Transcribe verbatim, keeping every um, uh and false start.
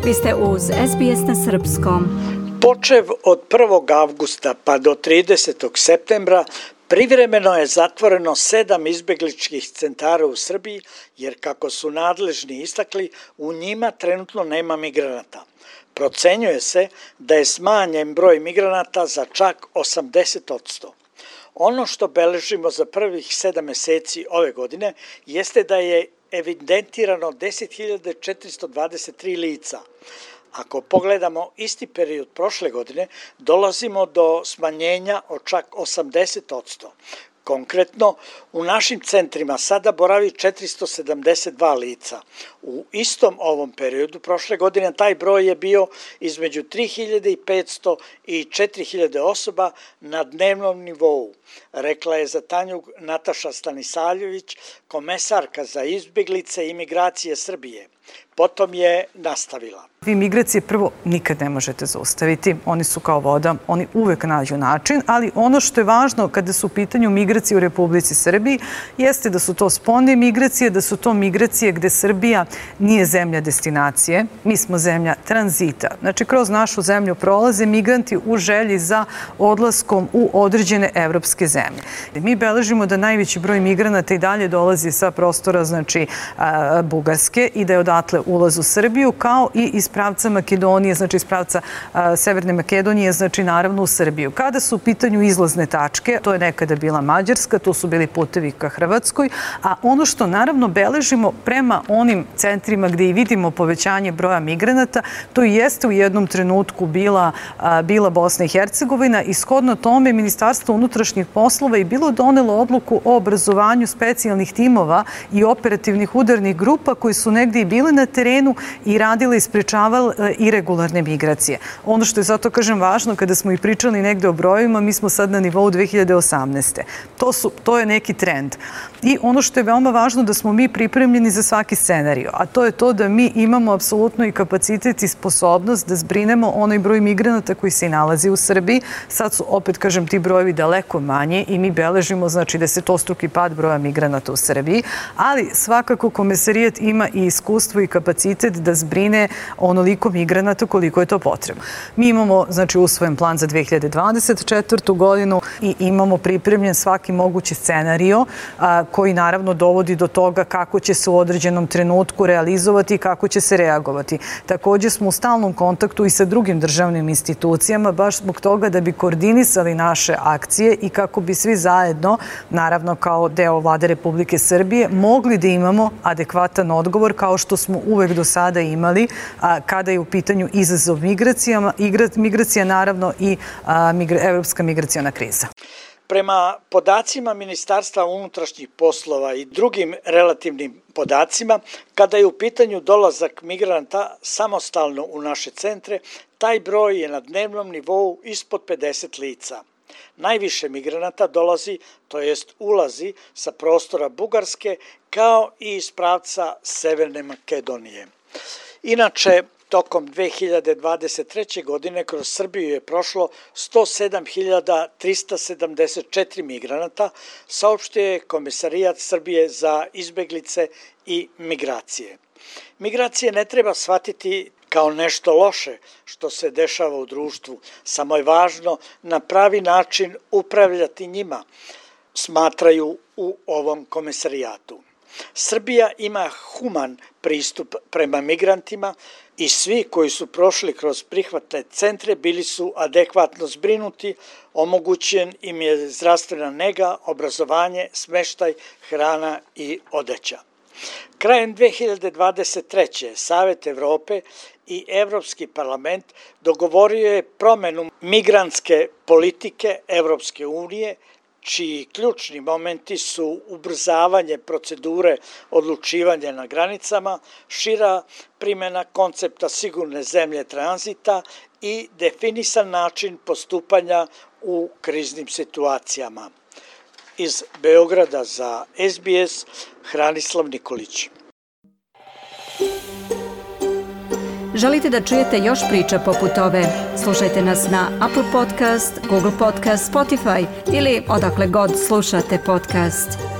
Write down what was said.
Vi ste uz S B S na srpskom. Počev od prvog avgusta pa do tridesetog septembra privremeno je zatvoreno sedam izbegličkih centara u Srbiji, jer kako su nadležni istakli, u njima trenutno nema migranata. Procenjuje se da je smanjen broj migranata za čak osamdeset posto. Ono što beležimo za prvih sedam meseci ove godine jeste da je evidentirano deset hiljada četiristo dvadeset tri lica. Ako pogledamo isti period prošle godine, dolazimo do smanjenja od čak osamdeset posto. Konkretno, u našim centrima sada boravi četiristo sedamdeset dva lica. U istom ovom periodu prošle godine taj broj je bio između tri hiljade petsto i četiri hiljade osoba na dnevnom nivou, rekla je za Tanjug Nataša Stanisavljević, komesarka za izbeglice i migracije Srbije. Potom je nastavila. Vi migracije prvo nikad ne možete zaustaviti, oni su kao voda, oni uvek nađu način, ali ono što je važno kada su u pitanju migracije u Republici Srbiji jeste da su to spoljne migracije, da su to migracije gde Srbija nije zemlja destinacije, mi smo zemlja tranzita. Znači, kroz našu zemlju prolaze migranti u želji za odlaskom u određene evropske zemlje. Mi beležimo da najveći broj migranata i dalje dolazi sa prostora, znači, Bugarske i da je odatle ulaz u Srbiju, kao i iz pravca Makedonije, znači iz pravca a, Severne Makedonije, znači naravno u Srbiju. Kada su u pitanju izlazne tačke, to je nekada bila Mađarska, to su bili putevi ka Hrvatskoj, a ono što naravno beležimo prema onim centrima gde i vidimo povećanje broja migranata, to i jeste u jednom trenutku bila, a, bila Bosna i Hercegovina i shodno tome Ministarstvo unutrašnjih poslova je bilo donelo odluku o obrazovanju specijalnih timova i operativnih udarnih grupa koji su negde i bile na terenu i radile i sprečavale irregularne migracije. Ono što je zato, kažem, važno, kada smo i pričali negde o brojima, mi smo sad na nivou dve hiljade osamnaeste. To, su, to je neki trend. I ono što je veoma važno da smo mi pripremljeni za svaki scenario, a to je to da mi imamo apsolutno i kapacitet i sposobnost da zbrinemo onaj broj migranata koji se i nalazi u Srbiji. Sad su, opet kažem, ti brojevi daleko manje i mi beležimo, znači, desetostruki pad broja migranata u Srbiji, ali svakako Komesarijat ima i iskustvo i kapacitet da zbrine onoliko migranata koliko je to potrebno. Mi imamo, znači, usvojen plan za dve hiljade dvadeset četvrtu godinu i imamo pripremljen svaki mogući scenario a, koji naravno dovodi do toga kako će se u određenom trenutku realizovati i kako će se reagovati. Također smo u stalnom kontaktu i sa drugim državnim institucijama, baš zbog toga da bi koordinisali naše akcije i kako bi svi zajedno, naravno kao deo Vlade Republike Srbije, mogli da imamo adekvatan odgovor kao što smo uvek do sada imali a, kada je u pitanju izazov migracijama, migracija naravno i a, migra, evropska migraciona kriza. Prema podacima Ministarstva unutrašnjih poslova i drugim relativnim podacima, kada je u pitanju dolazak migranta samostalno u naše centre, taj broj je na dnevnom nivou ispod pedeset lica. Najviše migranata dolazi, to jest ulazi sa prostora Bugarske, kao i iz pravca Severne Makedonije. Inače, tokom dve hiljade dvadeset treće. godine kroz Srbiju je prošlo sto sedam hiljada trista sedamdeset četiri migranata, saopštio je Komesarijat Srbije za izbeglice i migracije. Migracije ne treba shvatiti kao nešto loše što se dešava u društvu, samo je važno na pravi način upravljati njima, smatraju u ovom komesarijatu. Srbija ima human pristup prema migrantima i svi koji su prošli kroz prihvatne centre bili su adekvatno zbrinuti, omogućen im je zdravstvena nega, obrazovanje, smeštaj, hrana i odeća. Krajem dve hiljade dvadeset treće. Savet Evrope i Evropski parlament dogovorio je promenu migrantske politike Evropske unije, čiji ključni momenti su ubrzavanje procedure odlučivanja na granicama, šira primjena koncepta sigurne zemlje tranzita i definisan način postupanja u kriznim situacijama. Iz Beograda za S B S, Hranislav Nikolić. Želite da čujete još priča poput ove? Slušajte nas na Apple Podcast, Google Podcast, Spotify ili odakle god slušate podcast.